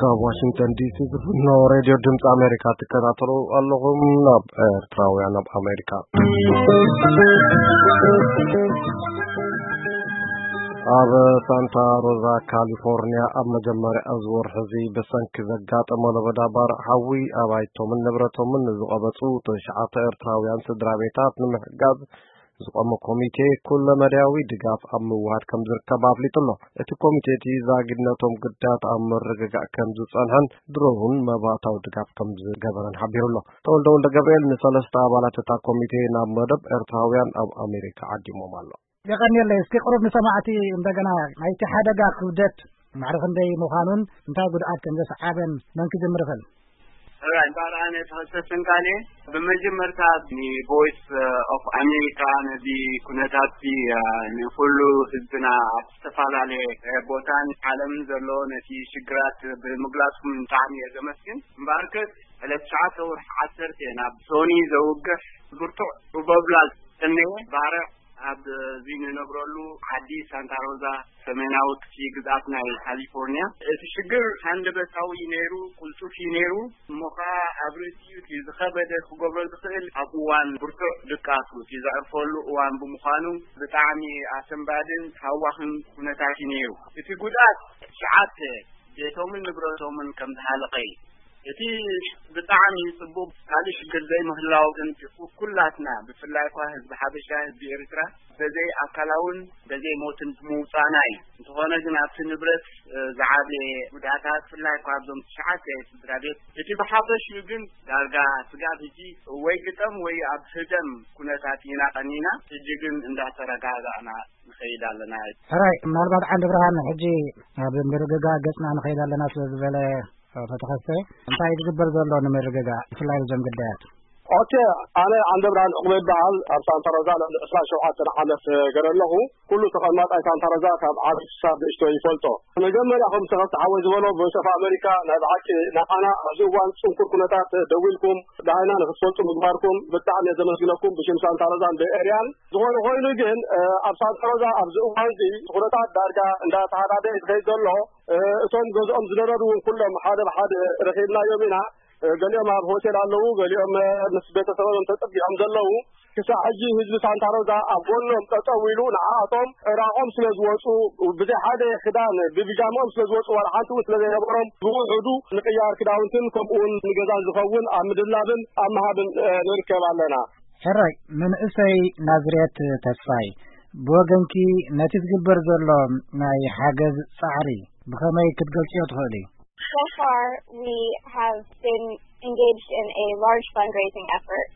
ካብ ዋሽንግተን ዲሲ ዝፍኖ ሬድዮ ድምፂ ኣሜሪካ ትከታተሉ ኣለኹም። ናብ ኤርትራውያን ኣብ ኣሜሪካ። ኣብ ሳንታ ሮዛ ካሊፎርኒያ ኣብ መጀመርያ እዚ ወርሒ እዚ ብሰንኪ ዘጋጠመ ለበዳ ባርዕ ሓዊ ኣባይቶምን ንብረቶምን ዝቐበፁ ትሽዓተ ኤርትራውያን ስድራ ቤታት ንምሕጋዝ ዝቆመ ኮሚቴ ኩለመዳያዊ ድጋፍ ኣብ ምውሃድ ከም ዝርከብ ኣፍሊጡ ኣሎ። እቲ ኮሚቴ እቲ ዛጊድነቶም ጉዳያት ኣብ ምርግጋእ ከም ዝጸንሐን ድሮ እውን መባእታዊ ድጋፍ ከም ዝገበረን ሓቢሩ ኣሎ። ተወልደ ወልደ ገብርኤል ንሰለስተ ኣባላት እታ ኮሚቴ ናብ መደብ ኤርትራውያን ኣብ ኣሜሪካ ዓዲሞም ኣሎ። የቐንየለይ። እስኪ ቅሩብ ንሰማዕቲ እንደገና ናይቲ ሓደጋ ክብደት ማዕረ ክንደይ ምዃኑን እንታይ ጉድኣት ከም ዘስዓበን መን ክጅምር ይኽእል? ራይ ባርኣነ ተኸሰስን ካሌ ብመጀመርታ ንቮይስ ኦፍ ኣሜሪካ ነዚ ኩነታት ንኩሉ ህዝብና ኣብ ዝተፈላለየ ቦታን ዓለምን ዘሎ ነቲ ሽግራት ብምግላጽኩም ብጣዕሚ እየ ዘመስግን። እምበኣርከስ ዕለት ትሽዓተ ወርሒ ዓሰርተ ናብ ሶኒ ዘውግሕ ብርቱዕ ሩበብላ ዝሰነየ ባርዕ ኣብ እዚ ንነብረሉ ዓዲ ሳንታ ሮዛ ሰሜናዊ ክፍሊ ግዝኣት ናይ ካሊፎርኒያ። እቲ ሽግር ሃንደበታዊ እዩ ነይሩ፣ ቁልጡፍ እዩ ነይሩ። እሞ ኸዓ ኣብ ርእሲኡ እቲ ዝኸበደ ክገብሮ ዝኽእል ኣብ እዋን ብርቱዕ ድቃሱ እቲ ዘዕርፈሉ እዋን ብምዃኑ ብጣዕሚ ኣሰንባድን ሃዋኽን ኩነታት እዩ ነይሩ። እቲ ጉድኣት ትሽዓተ ቤቶምን ንብረቶምን ከም ዝሃለቐ እዩ። እቲ ብጣዕሚ ጽቡቕ ካልእ ሽግር ዘይምህላው ግን ኩላትና ብፍላይ እኳ ህዝቢ ሓበሻ ህዝቢ ኤርትራ በዘይ ኣካላውን በዘይ ሞትን ብምውጻና እዩ። እንተኾነ ግን ኣብቲ ንብረት ዝዓበየ ጉድኣታት ብፍላይ እኳ ኣብዞም ትሽዓተ ስድራ ቤት እቲ ብሓፈሽኡ ግን ዳርጋ ስጋብ ሕጂ ወይ ግጠም ወይ ኣብ ህደም ኩነታት ኢና ቀኒና። ሕጂ ግን እንዳተረጋጋእና ንኸይድ ኣለና። ሕራይ ምናልባት ዓንዲ ብርሃን ሕጂ ኣብ ምርግጋእ ገጽና ንኸይድ ኣለና ስለ ዝበለ ተተኸስተ እንታይ ዝግበር ዘሎ ንምርግጋእ ብፍላይ ብዞም ግዳያት? ኦኬ፣ ኣነ ዓንደ ብርሃን ዕቑበ ይበሃል። ኣብ ሳንታ ሮዛ ልዕሊ ዕስራን ሸውዓተን ዓመት ገረ ኣለኹ። ኩሉ ተቐማጣይ ሳንታ ሮዛ ካብ ዓቢ ክሳብ ንእሽቶ ይፈልጦ። መጀመርያ ከም ተኸስተ ሓወይ ዝበሎ ቮይስ ኦፍ ኣሜሪካ ናይ ብሓቂ ንዓና ኣብዚ እዋን ጽንኩር ኩነታት ደዊልኩም ደሃይና ንክትፈልጡ ምግባርኩም ብጣዕሚ እየ ዘመስግነኩም ብሽም ሳንታ ሮዛን በኤርያን። ዝኾነ ኮይኑ ግን ኣብ ሳንታ ሮዛ ኣብዚ እዋን እዚ ኩነታት ዳርጋ እንዳተሃዳደ እዩ ዝኸይድ ዘሎ። እቶም ገዝኦም ዝደረሩ እውን ኩሎም ሓደ ብሓደ ረኺብናዮም ኢና። ገሊኦም ኣብ ሆቴል ኣለዉ፣ ገሊኦም ምስ ቤተሰቦም ተጸጊዖም ዘለዉ። ክሳዕ ሕጂ ህዝቢ ሳንታ ሮዛ ኣብ ጎኖም ጠጠው ኢሉ ንዓኣቶም ራቆም ስለ ዝወጹ፣ ብዘይ ሓደ ክዳን ብብጃምኦም ስለ ዝወጹ ዋላ ሓንቲ እውን ስለ ዘይነበሮም ብውሑዱ ንቅያር ክዳውንትን ከምኡ እውን ንገዛን ዝኸውን ኣብ ምድላብን ኣብ ምሃብን ንርከብ ኣለና። ሕራይ መንእሰይ ናዝሬት ተስፋይ፣ ብወገንኪ ነቲ ዝግበር ዘሎ ናይ ሓገዝ ጻዕሪ ብኸመይ ክትገልጽዮ ትኽእሊ? So far, we have been engaged in a large fundraising effort.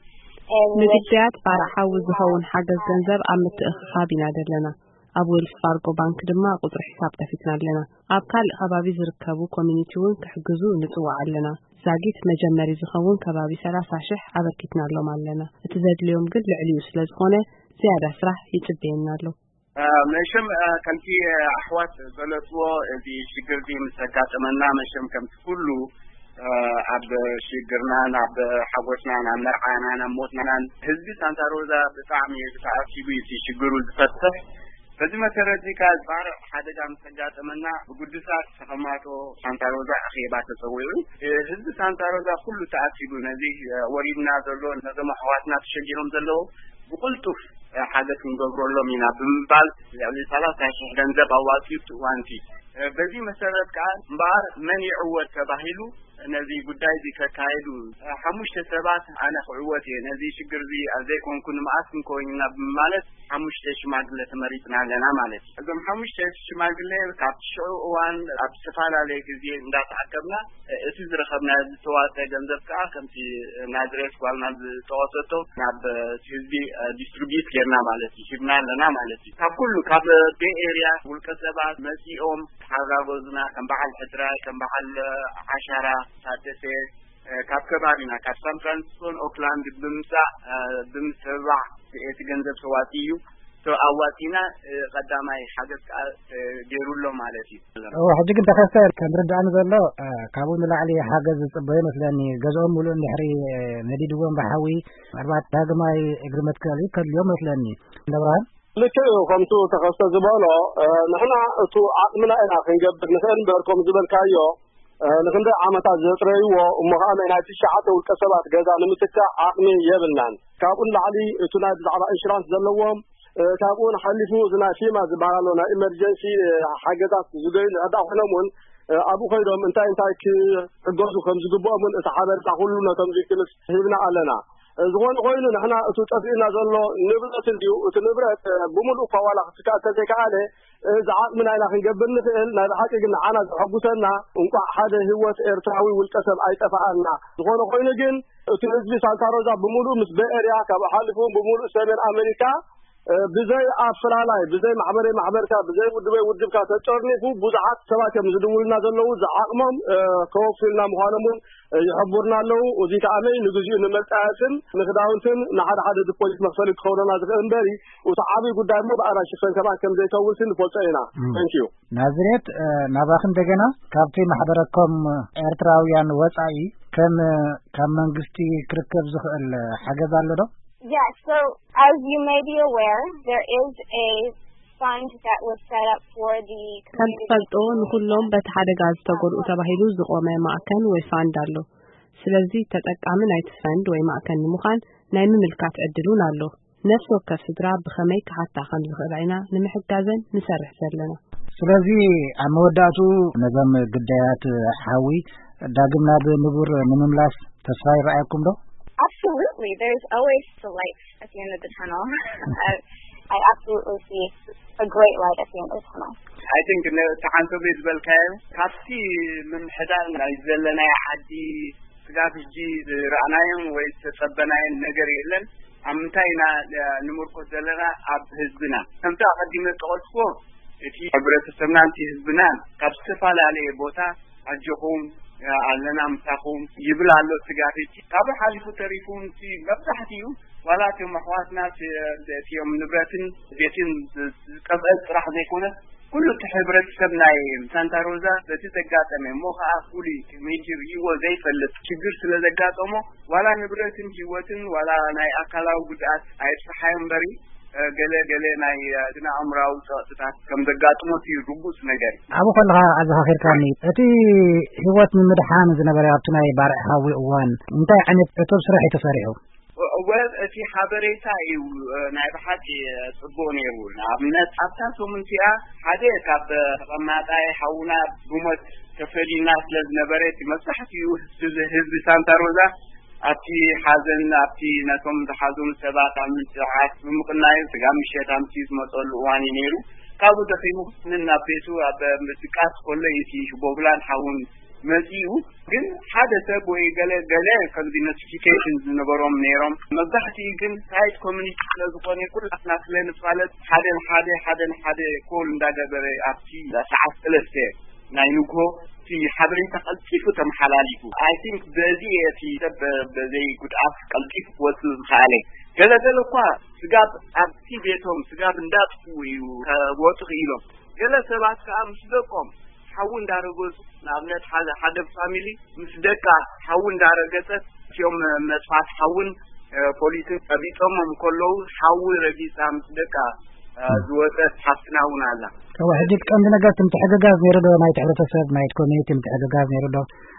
And with ንግዳያት ባርዕ ሓዊ ዝኸውን ሓገዝ ገንዘብ ኣብ ምትእኽኻብ ኢና ዘለና። ኣብ ዌልስ ፋርጎ ባንክ ድማ ቁጽሪ ሒሳብ ከፊትና ኣለና። ኣብ ካልእ ከባቢ ዝርከቡ ኮሚኒቲ እውን ክሕግዙ ንጽውዕ ኣለና። ዛጊት መጀመሪ ዝኸውን ከባቢ ሰላሳ ሽሕ ኣበርኪትናሎም ኣለና። እቲ ዘድልዮም ግን ልዕሊኡ ስለ ዝኾነ ዝያዳ ስራሕ ይጽበየና ኣሎ። መሸም ከምቲ ኣሕዋት ዝገለጽዎ እዚ ሽግር እዚ ምስ ኣጋጠመና መሸም ከምቲ ኩሉ ኣብ ሽግርናን ኣብ ሓጎስናን ኣብ መርዓናን ኣብ ሞትናን ህዝቢ ሳንታ ሮዛ ብጣዕሚ ተኣኪቡ እዩ እቲ ሽግሩ ዝፈትሕ። በዚ መሰረት እዚ ከኣ ባርዕ ሓደጋ ምስ ኣጋጠመና ብግዱሳት ተኸማቶ ሳንታ ሮዛ ኣኼባ ተጸዊዑ። ህዝቢ ሳንታ ሮዛ ኩሉ ተኣኪቡ ነዚ ወሪድና ዘሎ ነዞም ኣሕዋትና ተሸጊሮም ዘለዉ ብቕልጡፍ ሓገዝ ክንገብረሎም ኢና ብምባል ልዕሊ ሰላሳ ሽሕ ገንዘብ ኣዋጺኡ እቲ እዋንቲ። በዚ መሰረት ከኣ እምበኣር መን ይዕወት ተባሂሉ ነዚ ጉዳይ እዚ ከካየዱ ሓሙሽተ ሰባት ኣነ ክዕወት እየ ነዚ ሽግር እዚ ኣብ ዘይኮንኩ ንምኣስ እንኮይንና ብምማለት ሓሙሽተ ሽማግለ ተመሪጽና ኣለና ማለት እዩ። እዞም ሓሙሽተ ሽማግለ ካብቲ ሽዑ እዋን ኣብ ዝተፈላለየ ግዜ እንዳተኣከብና እቲ ዝረኸብና ዝተዋፀ ገንዘብ ከዓ ከምቲ ናዝሬት ጓልና ዝጠቐሰቶ ናብ ህዝቢ ዲስትሪቢዩት ጌርና ማለት እዩ ሂብና ኣለና ማለት እዩ። ካብ ኩሉ ካብ ቤይ ኤርያ ውልቀ ሰባት መፂኦም ተሓጋገዙና ከም በዓል ሕድራይ ከም በዓል ዓሻራ ታደሰ ካብ ከባቢና ካብ ሳን ፍራንሲስኮን ኦክላንድ ብምምፃእ ብምትብባዕ እቲ ገንዘብ ተዋፂኡ እዩ። ኣዋፂና ቀዳማይ ሓገዝ ከዓ ገይሩ ኣሎ ማለት እዩ። ሕጂ ግን ተኸስተ ከም ርዳእኒ ዘሎ ካብኡ ንላዕሊ ሓገዝ ዝፅበዩ መስለኒ። ገዝኦም ሙሉእ እንድሕሪ ነዲድዎም ብሓዊ ምናልባት ዳግማይ እግሪ መትከሊ ከድልዮም መስለኒ። እንደብርሃን ልክዕ እዩ። ከምቱ ተኸስተ ዝበሎ ንሕና እቱ ዓቕምና ኢና ክንገብር ንኽእል እምበር ከም ዝበልካዮ ንክንደይ ዓመታት ዘጥረይዎ እሞ ከዓ ናይ ትሽዓተ ውልቀ ሰባት ገዛ ንምትካእ ዓቕሚ የብልናን። ካብኡ ንላዕሊ እቲ ናይ ብዛዕባ ኢንሹራንስ ዘለዎም፣ ካብኡ ሓሊፉ እዚ ናይ ፊማ ዝበሃል ኣሎ፣ ናይ ኢመርጀንሲ ሓገዛት ዝደልዩ እንድሕር ኮይኖም እውን ኣብኡ ከይዶም እንታይ እንታይ ክሕገዙ ከም ዝግብኦም እውን እቲ ሓበሬታ ኩሉ ነቶም ቪክቲምስ ሂብና ኣለና። ዝኾነ ኮይኑ ንሕና እቲ ጠፊእና ዘሎ ንብረት እንድዩ። እቲ ንብረት ብምሉእ እኳ ዋላ ክትካእ እንተዘይከኣለ፣ እዚ ዓቕሚ ናይና ክንገብር ንኽእል። ናይ ብሓቂ ግን ንዓና ዘሐጉሰና እንቋዕ ሓደ ህይወት ኤርትራዊ ውልቀ ሰብ ኣይጠፋኣና። ዝኾነ ኮይኑ ግን እቲ ህዝቢ ሳንታ ሮዛ ብምሉእ ምስ በኤርያ ካብኡ ሓሊፉ ብምሉእ ሰሜን ኣሜሪካ ብዘይ ኣፈላላይ ብዘይ ማሕበረይ ማሕበርካ ብዘይ ውድበይ ውድብካ ተጨርኒፉ ብዙሓት ሰባት እዮም ዝድውልና ዘለዉ። ዝዓቕሞም ከወፍልና ምዃኖም እውን ይሕቡርና ኣለዉ። እዚ ከዓነይ ንግዚኡ ንመጣየስን ንክዳውንትን ንሓደ ሓደ ዲፖዚት መክፈሊ ክኸውነና ዝኽእል እምበሪ እቲ ዓብዪ ጉዳይ እሞ ብኣና ሽፈን ከማን ከም ዘይከውንሲ ንፈልጦ ኢና። Thank you። ናዝሬት፣ ናባኺ እንደገና። ካብቲ ማሕበረኮም ኤርትራውያን ወጻኢ ከም ካብ መንግስቲ ክርከብ ዝኽእል ሓገዝ ኣሎ ዶ? Yes, so as you may be aware, there is a fund that was set up for the ከም community. ትፈልጦ ንኹሎም በቲ ሓደጋ ዝተጎድኡ ተባሂሉ ዝቆመ ማእከል ወይ ፋንድ ኣሎ። ስለዚ ተጠቃሚ ናይቲ ፈንድ ወይ ማእከል ንምዃን ናይ ምምልካት ዕድል እውን ኣሎ። ነፍሲ ወከፍ ስድራ ብኸመይ ክሓታ ከም ዝኽእላ ኢና ንምሕጋዘን ንሰርሕ ዘለና። ስለዚ ኣብ መወዳእቱ ነዞም ግዳያት ሓዊ ዳግም ናብ ንቡር ንምምላስ ተስፋ ይረኣየኩም ዶ? Absolutely. There's always the light at the end of the tunnel. I, I absolutely see a great light at the end of the tunnel. I think ነ- እቲ ሓንሶ ቤት ዝበልካዮ ካብቲ ምምሕዳር ናይ ዘለናይ ዓዲ ስጋብ ሕጂ ዝረኣናዮም ወይ ዝተጸበናዮን ነገር የለን። ኣብ ምንታይ ኢና ንምርኮስ ዘለና? ኣብ ህዝብና። ከምቲ ኣቐዲመ ዝጠቐስኩዎ እቲ ሕብረተሰብናን እቲ ህዝብናን ካብ ዝተፈላለየ ቦታ ኣጆኹም ኣለና ምሳኹም ይብል ኣሎ ስጋብ ሕጂ። ካብኡ ሓሊፉ ተሪፉ እቲ መብዛሕትኡ ዋላ እቶም ኣሕዋትና እቲ እቲኦም ንብረትን ቤትን ዝጠፍአ ጥራሕ ዘይኮነ ኩሉ እቲ ሕብረተሰብ ናይ ሳንታ ሮዛ በቲ ዘጋጠመ እሞ ከዓ ፍሉይ ከመይ ሪእዎ ዘይፈልጥ ሽግር ስለ ዘጋጠሞ ዋላ ንብረትን ህይወትን ዋላ ናይ ኣካላዊ ጉድኣት ኣይብፅሓዮ እምበሪ ገለ ገለ ናይ ስነ ኣእምራዊ ፀቕጥታት ከም ዘጋጥሞ እቲ ርጉፅ ነገር እዩ። ኣብኡ ከለኻ ኣዘኻኺርካኒ፣ እቲ ህይወት ንምድሓን ዝነበረ ኣብቲ ናይ ባርዕ ሓዊ እዋን እንታይ ዓይነት ዕቱብ ስራሕ እዩ ተሰሪሑ? ወል እቲ ሓበሬታ እዩ ናይ ብሓቂ ፅቡቅ ነይሩ። ንኣብነት ኣብታ ሰሙን እቲኣ ሓደ ካብ ተቐማጣይ ሓውና ብሞት ተፈሊና ስለ ዝነበረ እቲ መብዛሕትኡ ህዝቢ ሳንታ ሮዛ ኣብቲ ሓዘን ኣብቲ ነቶም ዝሓዘኑ ሰባት ኣብ ምንፅዓት ብምቕናዩ ስጋ ምሸት ኣምስዩ ዝመፀሉ እዋን እዩ ነይሩ። ካብኡ ደኺሙ ናብ ቤቱ ኣብ ምድቃስ ከሎ እዩ እቲ ሽቦብላን ሓውን መፂኡ። ግን ሓደ ሰብ ወይ ገለ ገለ ከምዚ ኖቲፊኬሽን ዝነበሮም ነይሮም። መብዛሕትኡ ግን ሳይት ኮሚኒቲ ስለ ዝኾነ ኩላትና ስለ ንፋለጥ ሓደ ንሓደ ሓደ ንሓደ ኮል እንዳገበረ ኣብቲ ሰዓት ሰለስተ ናይ ንግሆ እቲ ሓበሬታ ቀልጢፉ ተመሓላሊፉ። I think በዚ እቲ ሰብ በዘይ ጉድኣት ቀልጢፉ ክወፅእ ዝኸኣለ። ገለ ገለ እኳ ስጋብ ኣብቲ ቤቶም ስጋብ እንዳጥፍኡ እዩ ከወፁ ክኢሎም። ገለ ሰባት ከዓ ምስ ደቆም ሓዊ እንዳረገፁ ንኣብነት ሓደ ሓደ ፋሚሊ ምስ ደቃ ሓዊ እንዳረገፀት እቲኦም መጥፋት ሓውን ፖሊስን ቀቢጦሞም ከለዉ ሓዊ ረጊፃ ምስ ደቃ ዝወፀት ሓፍትና እውን ኣላ። እወ፣ ሕጂ እቲ ቀንዲ ነገር እቲ ምትሕግጋዝ ነይሩ ዶ? ናይቲ ሕብረተሰብ ናይቲ ኮሚኒቲ ምትሕግጋዝ ነይሩ ዶ?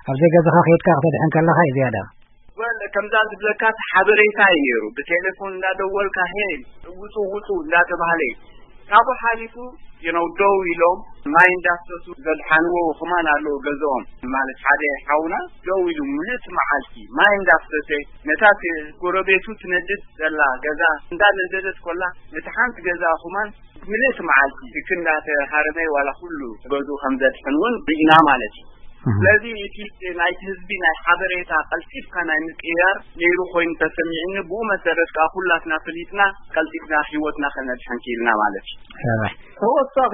ኣብ ዘይገዛኻ ከይድካ ክተድሕን ከለኻ እዩ ዝያዳ። ወል ከምዛ ዝብለካ እቲ ሓበሬታ እዩ ነይሩ። ብቴሌፎን እንዳደወልካ ሄይ ውፁ ውፁ እንዳተባሃለ እዩ። ካብኡ ሓሊፉ you know ደው ኢሎም ማይ እንዳፍሰሱ ዘድሓንዎ ከማን ኣለዉ ገዝኦም። ማለት ሓደ ሓውና ደው ኢሉ ምልእቲ መዓልቲ ማይ እንዳፍሰሰ ነታ ጎረቤቱ ትነድድ ዘላ ገዛ እንዳነደደት ኮላ ነቲ ሓንቲ ገዛ ከማን ምልእቲ መዓልቲ ትክ እንዳተሃረመ ዋላ ኩሉ ገዝኡ ከም ዘድሕን እውን ርኢና ማለት እዩ። ስለዚ እቲ ናይቲ ህዝቢ ናይ ሓበሬታ ቀልጢፍካ ናይ ምቅያር ነይሩ ኮይኑ ተሰሚዕኒ። ብኡ መሰረት ከዓ ኩላትና ፍሊጥና ቀልጢፍና ህይወትና ከነድሕን ክኢልና ማለት እዩ። ተወሳኺ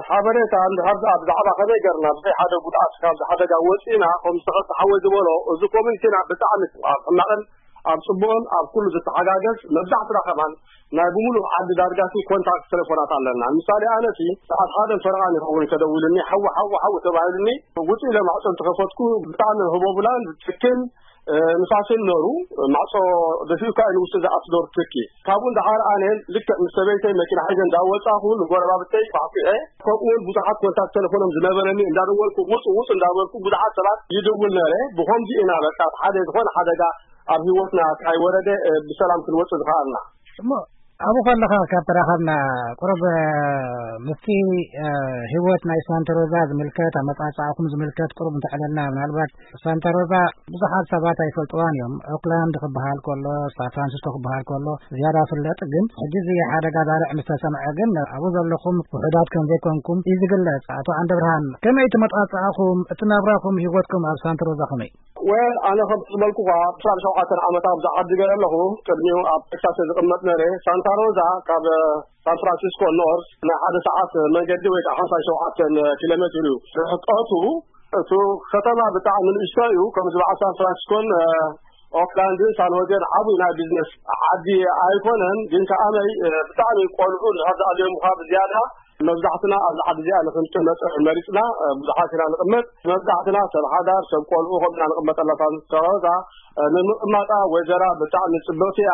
ሓበሬታ እንድሕር ደኣ ብዛዕባ ከመይ ገርና ብዘይ ሓደ ጉድኣት ካብዚ ሓደጋ ወፂእና ከም ዝተኸስተ ሓወይ ዝበሎ እዚ ኮሚኒቲና ብጣዕሚ ኣብ ሕማቕን ኣብ ጽቡቕን ኣብ ኩሉ ዝተሓጋገዝ፣ መብዛሕትና ከማን ናይ ብምሉእ ዓዲ ዳርጋሲ ኮንታክት ቴሌፎናት ኣለና። ምሳሌ፣ ኣነሲ ሰዓት ሓደ ፈረቓ ይኸውን ተደዊሉኒ፣ ሓዊ፣ ሓዊ፣ ሓዊ ተባሂሉኒ፣ ውጽእ ኢለ ማዕጾ እንተኸፈትኩ፣ ብጣዕሚ ህቦብላን ትክን፣ እ፣ ንፋስን ነሩ፣ ማዕጾ ደፊኡካ እዩ ንውሽጢ ዝኣቱ ዶር ትኪ። ካብኡ እንዳሓር ኣነ ልክዕ ምስ ሰበይተይ መኪና ሒዘ እንዳወጻኹ፣ ንጎረባብተይ ኳዕኩዐ፣ ከምኡ እውን ብዙሓት ኮንታክት ቴሌፎኖም ዝነበረኒ እንዳደወልኩ፣ ውጹ፣ ውጹ እንዳበልኩ፣ ብዙሓት ሰባት ይድውል ነረ። ብኸምዚ ኢና በቃ ሓደ ዝኾነ ሓደጋ ኣብ ህይወትና ካይወረደ፣ እ፣ ብሰላም ክንወጽእ ዝኸኣልና። እሞ ኣብኡ ከለኻ ካብ ተራኸብና፣ ቁሩብ፣ እ፣ ምስቲ፣ እ፣ ህይወት ናይ ሳንታ ሮዛ ዝምልከት፣ ኣመጻጽኣኹም ዝምልከት ቁሩብ እንተዕለልና፣ ምናልባት ሳንታ ሮዛ ብዙሓት ሰባት ኣይፈልጥዋን እዮም። ኦክላንድ ክበሃል ከሎ፣ ሳን ፍራንሲስኮ ክበሃል ከሎ ዝያዳ ፍለጥ፣ ግን ሕጂ እዚ ሓደጋ ባርዕ ምስ ተሰምዐ ግን ኣብኡ ዘለኹም ውሑዳት ከም ዘይኮንኩም እዩ ዝግለጽ። ኣቶ ዓንደ ብርሃን፣ ከመይ እቲ መጣጽኣኹም፣ እቲ ናብራኹም፣ ህይወትኩም ኣብ ሳንታ ሮዛ ከመይ? ወል፣ ኣነ ከም ዝበልኩኻ፣ ዕስራን ሸውዓተን ዓመት ኣብዚ ዓዲ ገለ ኣለኹ። ቅድሚኡ ኣብ ቴክሳስ ዝቕመጥ ነረ። ሳንታ ሮዛ ካብ ሳን ፍራንሲስኮ ኖርዝ ናይ ሓደ ሰዓት መንገዲ ወይ ከዓ ሓምሳን ሸውዓተን ኪሎ ሜትር እዩ ርሕቀቱ። እቱ ከተማ ብጣዕሚ ንእሽቶ እዩ። ከምዚ በዓል ሳን ፍራንሲስኮን፣ እ፣ ኦክላንድን ሳን ሆዜን ዓብዩ ናይ ቢዝነስ ዓዲ ኣይኮነን። ግን ከኣመይ፣ እ፣ ብጣዕሚ ቆልዑ እንድሕር ዝኣልዮምኻ ብዝያዳ መብዛሕትና ኣብዚ ዓዲ እዚኣ ንክንቅመጥ መሪፅና፣ እ፣ ብዙሓት ኢና ንቕመጥ። መብዛሕትና ሰብ ሓዳር፣ ሰብ ቆልዑ ከምና ንቕመጠላ ሳንታ ሮዛ፣ እ፣ ንምቕማጣ ወጀራ ብጣዕሚ ፅብቕቲ እያ።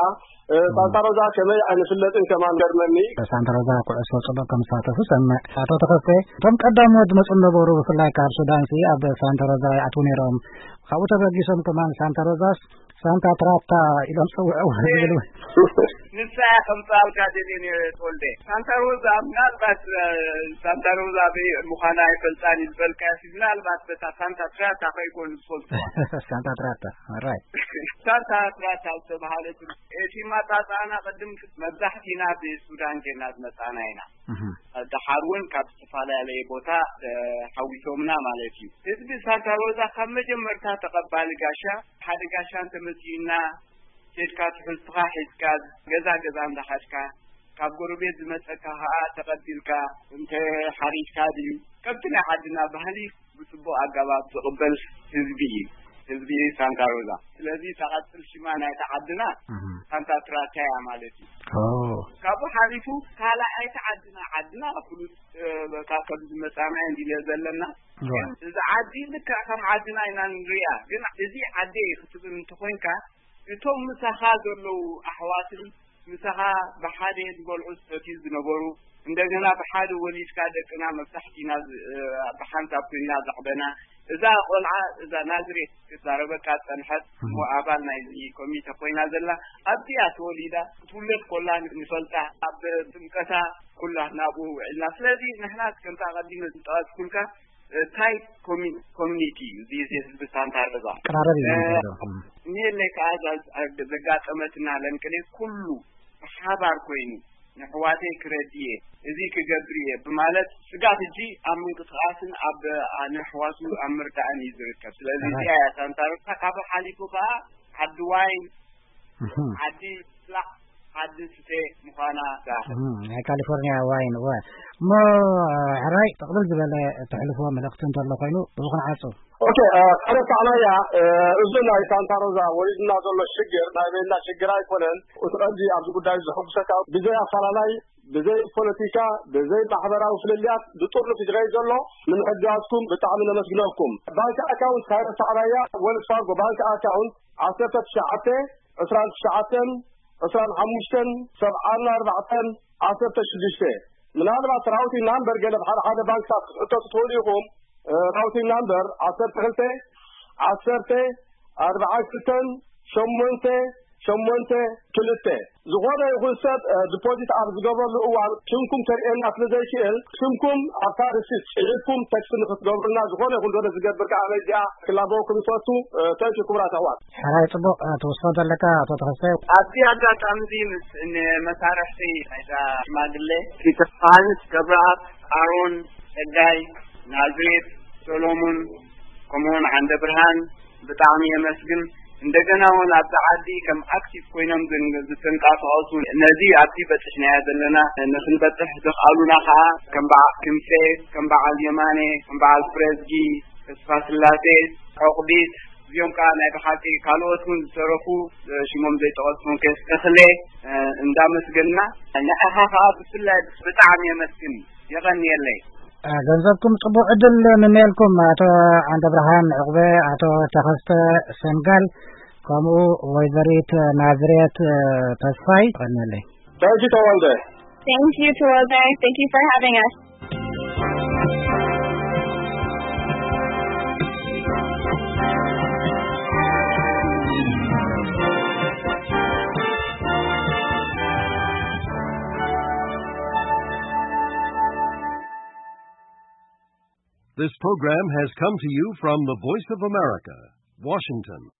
እ፣ ሳንታ ሮዛ ከመይ ኣይንፍለጥን ከማን ገርመኒ። ሳንታ ሮዛ ኩዕሶ ጽቡቕ ከም ዝሳተፉ ሰምዕ። ኣቶ ተኸስተ፣ እቶም ቀዳሞት ዝመጹ ነበሩ፣ ብፍላይ ካብ ሱዳን ሲ ኣብ ሳንታ ሮዛ ይኣትዉ ነይሮም። ካብኡ ተበጊሶም ከማን ሳንታ ሮዛስ ሳንታ ትራታ ኢሎም ጸውዕዎ ዝብሉ። ንሳ እያ ከምጽኣልካ ደልየ ነይረ ተወልደ። ሳንታ ሮዛ ምናልባት፣ እ፣ ሳንታ ሮዛ በይ ምዃና ኣይፈልጣን እዩ ዝበልካዮ፣ ምናልባት በታ ሳንታ ትራታ ከይኮኑ ዝፈልጥዋ። ሳንታ ትራታ፣ ኦራይት። ሳንታ ትራታ ዝተባሃለት እቲ ማጣጣና ቅድም መብዛሕቲና ብሱዳን ጌና ዝመጻና ኢና። እህ። ደሓር እውን ካብ ዝተፈላለየ ቦታ፣ እ፣ ሓዊሶምና ማለት እዩ። ህዝቢ ሳንታ ሮዛ ካብ መጀመርታ ተቐባሊ ጋሻ፣ ሓደ ጋሻ እንተመጺኡና፣ ኬድካ ትሕዝትኻ ሒዝካ፣ ገዛ ገዛ እንዳኻድካ፣ ካብ ጎረቤት ዝመጸካ ኸኣ ተቐቢልካ፣ እንተ ሓሪድካ ድዩ፣ ከምቲ ናይ ዓድና ባህሊ ብጽቡቕ ኣገባብ ዝቕበል ህዝቢ እዩ፣ ህዝቢ ሳንታ ሮዛ። ስለዚ እታ ቀጽል ሽማ ናይታ ዓድና እህ። ሳንታ ትራታ እያ ማለት እዩ። ኦ። ካብኡ ሓሊፉ ካልኣይቲ ዓድና፣ ዓድና ፍሉጥ፣ እ፣ በቃ ከም ዝመጻና እንዲለ ዘለና። እዋ። እዚ ዓዲ ልክዕ ከም ዓድና ኢና ንሪኣ፣ ግን እዚ ዓደይ ክትብል እንተኾይንካ፣ እቶም ምሳኻ ዘለዉ ኣሕዋትን ምሳኻ ብሓደ ዝበልዑ ዝሰትዩ ዝነበሩ፣ እንደገና ብሓደ ወሊድካ ደቅና መብዛሕቲና ዝ-፣ እ፣ ብሓንሳብ ኮይንና ዘዕበና፣ እዛ ቆልዓ፣ እዛ ናዝሬት ክትዛረበካ ዝጸንሐት፣ እሞ ኣባል ናይዚ ኮሚተ ኮይና ዘላ፣ ኣብዚኣ ተወሊዳ፣ ክትውለድ ኮላ ንፈልጣ፣ ኣብ ጥምቀታ ኩላ ናብኡ ውዒልና። ስለዚ ንሕና ከምታ ቀዲመ ዝጠቐስኩልካ፣ እ፣ ታይት ኮሚ-፣ ኮሚኒቲ እዩ፣ እዚ ህዝቢ ሳንታ ሮዛ። ቀራረብ እዩ እ፣ ዝነበረ። እም። እኒሀለይ ከኣ እዛ ዘጋጠመትና ለንቅሌ ኩሉ ብሓባር ኮይኑ፣ ንኣሕዋተይ ክረድእ እየ፣ እዚ ክገብር እየ ብማለት ስጋብ ሕጂ ኣብ ምንቅስቓስን ኣብ፣ ኣ፣ ንኣሕዋቱ ኣብ ምርዳእን እዩ ዝርከብ። ስለዚ እዚኣ እያ ሳንታ ሮዛ። ካብኡ ሓሊፉ ከኣ ዓዲ ዋይን፣ እህ። ዓዲ ስራሕ፣ ዓዲ ስተ ምዃና እህ፣ ናይ ካሊፎርኒያ ዋይን፣ እወ። እሞ፣ ሕራይ፣ ጥቕልል ዝበለ እተሕልፍዎ መልእኽቲ እንተሎ ኮይኑ፣ ብኡ ክንዓጹ። ኦኬ፣ እ፣ ከረሳዕናያ፣ እ፣ እዚ ናይ ሳንታ ሮዛ ወሪድና ዘሎ ሽግር ናይ በይንና ሽግር ኣይኮነን። እቲ ቀንዲ ኣብዚ ጉዳይ ዘሐጉሰካ ብዘይ ኣፈላላይ፣ ብዘይ ፖለቲካ፣ ብዘይ ማሕበራዊ ፍልልያት ብጥርኑፍ እዩ ዝኸይድ ዘሎ። ንምሕጋዝኩም ብጣዕሚ ነመስግነኩም። ባንክ ኣካውንት ከረሳዕናያ፣ ወልስ ፋርጎ ባንክ ኣካውንት ዓሰርተ ትሽዓተ፣ ዕስራን ትሽዓተን፣ ዕስራን ሓሙሽተን፣ ሰብዓን ኣርባዕተን፣ ዓሰርተ ሽዱሽተ። ምናልባት ራውቲንግ ናምበር ገለ ብሓደ ሓደ ባንክታት ክትሕተቱ ትኽእሉ ኢኹም። እ፣ ራውቲንግ ናምበር ዓሰርተ ክልተ፣ ዓሰርተ፣ ኣርብዓን ክልተን፣ ሸሞንተ፣ ሸሞንተ፣ ክልተ። ዝኾነ ይኹን ሰብ፣ እ፣ ዲፖዚት ኣብ ዝገበረሉ እዋን ሽምኩም ከርእየና ስለ ዘይክእል፣ ሽምኩም ኣብታ ሪሲት ጽሒፍኩም ቴክስት ንክትገብሩና፣ ዝኾነ ይኹን ዶነ ዝገብር ከኣ በዚኣ ክላበወኩም ይፈቱ። እ፣ ታንኪ ክቡራት ኣሕዋት። ሕራይ ጽቡቕ፣ እ፣ ትውስኾ ዘለካ ኣቶ ተኸስተ። ኣብዚ ኣጋጣሚ እዚ ምስ ንመሳርሕቲ ናይዛ ሽማግለ ፒተር ዮሃንስ፣ ገብረኣብ፣ ኣሮን፣ ጸጋይ፣ ናዝሬት፣ ሰሎሙን፣ ከምኡውን ዓንደ ብርሃን ብጣዕሚ የመስግን። እንደገና እውን ኣብዚ ዓዲ ከም ኣክቲቭ ኮይኖም ዝን-፣ ዝትንቀሳቐሱ ነዚ ኣብዚ በጽሕናዮ ዘለና ንኽንበጽሕ ዘኽኣሉና ኸዓ ከም በዓ-፣ ክንፌ፣ ከም በዓል የማነ፣ ከም በዓል ፍረዝጊ፣ ተስፋ ስላሴ፣ ዖቕዲት፣ እዚኦም ከዓ ናይ ብሓቂ ካልኦት እውን ዝተረፉ፣ እ፣ ሽሞም ዘይጠቐስኩም ከየስተኽለ፣ እ፣ እንዳመስገንና፣ ንዓኻ ከዓ ብፍላይ ብጣዕሚ የመስግን። የቐንየለይ። እ፣ ገንዘብኩም ጽቡቕ ዕድል ንምነየልኩም፣ ኣቶ ዓንደብርሃን ዕቑበ፣ ኣቶ ተኸስተ ሰንጋል፣ ከምኡ ወይዘሪት ናዝሬት፣ እ፣ ተስፋይ። የቐንየለይ። Thank you, Tawalde. Thank you, Tawalde. Thank you for having us. This program has come to you from the Voice of America, Washington.